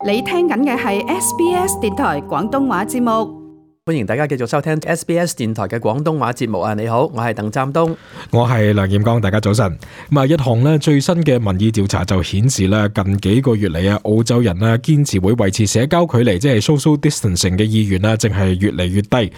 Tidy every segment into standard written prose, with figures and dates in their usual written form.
你聽緊嘅係 SBS 電台廣東話節目。歡迎大家繼續收聽 SBS 電台嘅廣東話節目啊！你好，我係鄧湛東，我係梁劍剛，大家早晨。一項最新嘅民意調查就顯示咧，近幾個月嚟啊，澳洲人咧堅持會維持社交距離，即係 social distancing 嘅意願咧，正係越嚟越低。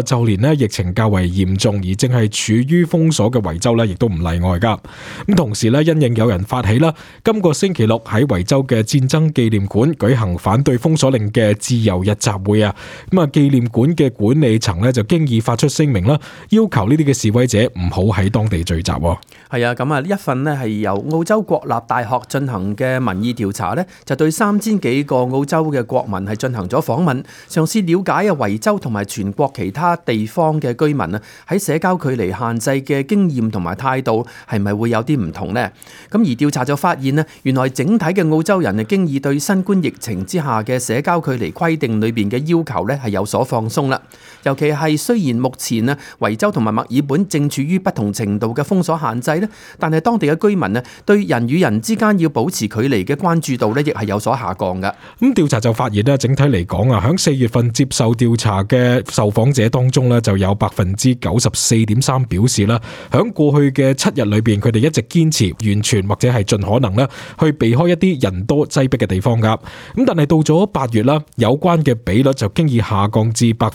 就連咧疫情較為嚴重而正係處於封鎖嘅維州咧，亦都唔例外噶。咁同時咧，因應有人發起啦，今個星期六喺維州嘅戰爭紀念館舉行反對封鎖令嘅自由日集會啊。紀念館嘅管理層咧就經已發出聲明啦，要求呢啲嘅示威者唔好喺當地聚集。係啊，咁啊，呢一份咧係由澳洲國立大學進行嘅民意調查咧，就對3000幾個澳洲嘅國民係進行咗訪問，嘗試了解維州同埋全國其他地方嘅居民啊喺社交距離限制嘅經驗同埋態度係咪會有啲唔同呢？咁而調查就發現咧，原來整體嘅澳洲人啊經已對新冠疫情之下嘅社交距離規定裏邊嘅要求咧係有所放鬆啦。尤其係雖然目前啊維州同埋墨爾本正處於不同程度嘅封鎖限制咧，但係當地嘅居民啊對人與人之間要保持距離嘅關注度咧亦係有所下降嘅。咁調查就發現咧，整體嚟講啊，響4月份接受調查嘅受訪者當中咧，就有94.3%表示啦，響過去嘅7日裏邊，佢哋一直堅持完全或者係盡可能咧去避開一啲人多擠迫嘅地方噶。咁但係到咗8月啦，有關嘅比率就經已下降至72.2%。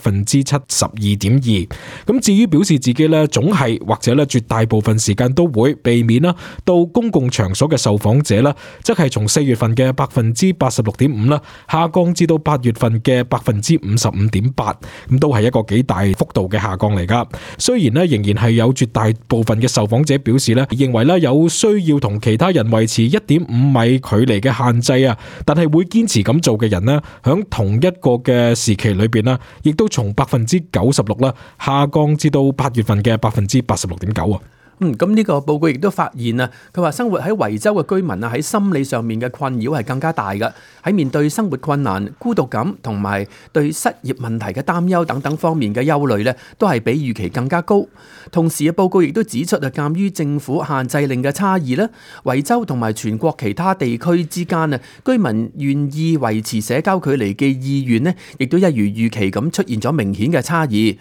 咁至於表示自己咧總係或者咧絕大部分時間都會避免啦到公共場所嘅受訪者啦，則係從4月份嘅86.5%啦，下降至到8月份嘅55.8%。咁都係一個幾大幅度嘅下降嚟噶。雖然咧仍然係有絕大部分嘅受訪者表示咧，認為咧有需要同其他人維持1.5米距離嘅限制啊，但係會堅持咁做嘅人咧，響同一個嘅時期裏邊啦，亦都從96%啦下降至到8月份嘅86.9%啊。咁呢個報告亦都發現啊，佢話生活喺維州嘅居民啊喺心理上面嘅困擾係更加大嘅，喺面對生活困難、孤獨感同埋對失業問題嘅擔憂等等方面嘅憂慮咧，都係比預期更加高。同時嘅報告亦都指出啊，鑑於政府限制令嘅差異咧，維州同埋全國其他地區之間啊，居民願意維持社交距離嘅意願咧，亦都一如預期咁出現咗明顯嘅差異。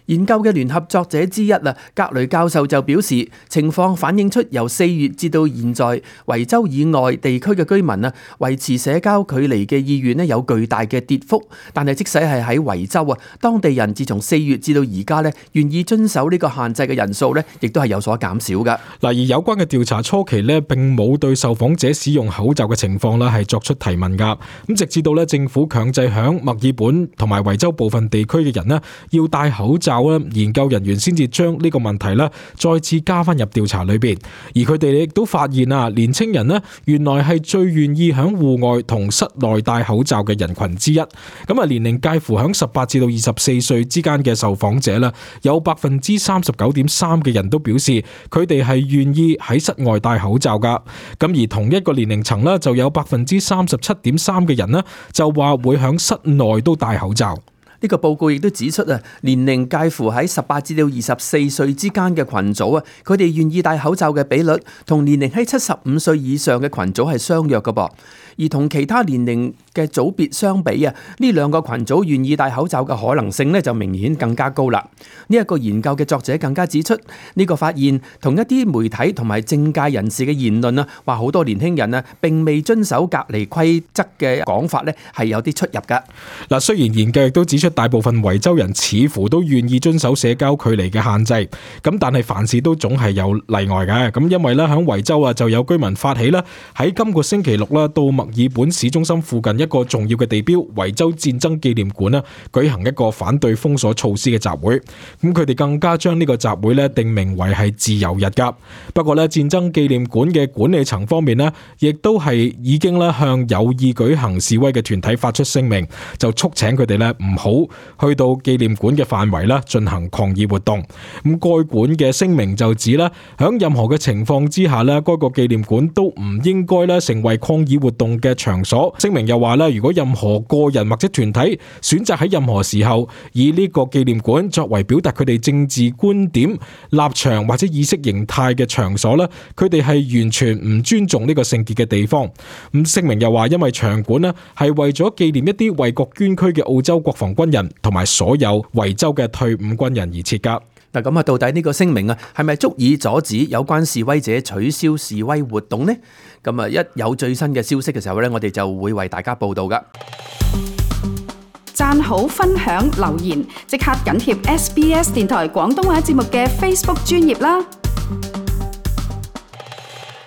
研究嘅聯合作者之一啊，格雷教授就表示，情況反映出由4月至到現在，維州以外地區嘅居民啊，維持社交距離嘅意願咧有巨大嘅跌幅。但係即使係喺維州啊，當地人自從4月至到而家咧，願意遵守呢個限制嘅人數咧，亦都係有所減少㗎。而有關嘅調查初期咧，並冇對受訪者使用口罩嘅情況啦係作出提問㗎。咁直至到咧政府強制響墨爾本同埋維州部分地區嘅人咧要戴口罩，研究人員先至將呢個問題咧再次加翻入調查裏邊，而佢哋亦都發現啊，年青人咧原來係最願意響戶外同室內戴口罩嘅人群之一。年齡介乎響18至到24歲之間嘅受訪者咧，有39.3%嘅人都表示佢哋係願意喺室外戴口罩噶。而同一個年齡層咧，就有37.3%嘅人咧就話會響室內都戴口罩。呢個報告亦都指出啊，年齡介乎喺18至到24歲之間嘅群組啊，佢哋願意戴口罩嘅比率同年齡喺75歲以上嘅群組係相若嘅噃。而同其他年齡嘅組別相比啊，呢兩個群組願意戴口罩嘅可能性咧就明顯更加高啦。呢一個研究嘅作者更加指出，呢個發現同一啲媒體同埋政界人士嘅言論啊，話好多年輕人啊並未遵守隔離規則嘅講法咧係有啲出入噶。雖然研究亦都指出大部分維州人似乎都願意遵守社交距離嘅限制，咁但係凡事都總係有例外嘅。咁因為咧喺維州啊就有居民發起啦，喺今個星期六啦到墨爾本市中心附近一個重要嘅地標維州戰爭紀念館啦，舉行一個反對封鎖措施嘅集會。咁佢哋更加將呢個集會咧定名為係自由日噶。不過咧戰爭紀念館嘅管理層方面咧，亦都係已經咧向有意舉行示威嘅團體發出聲明，就促請佢哋咧唔好去到紀念館嘅範圍啦進行抗議活動。咁該館嘅聲明就指咧，響任何嘅情況之下咧，該個紀念館都唔應該咧成為抗議活動嘅場所。聲明又話話咧，如果任何個人或者團體選擇喺任何時候以呢個紀念館作為表達佢哋政治觀點、立場或者意識形態嘅場所咧，佢哋係完全唔尊重呢個聖潔嘅地方。咁聲明又話，因為場館咧係為咗紀念一啲為國捐軀嘅澳洲國防軍人同埋所有維州嘅退伍軍人而設噶。嗱，咁啊，到底呢個聲明啊，係咪足以阻止有關示威者取消示威活動呢？咁啊，一有最新嘅消息嘅時候呢，我哋就會為大家報道噶。讚好、分享、留言，即刻緊貼SBS 電台廣東話節目嘅 Facebook 專頁啦！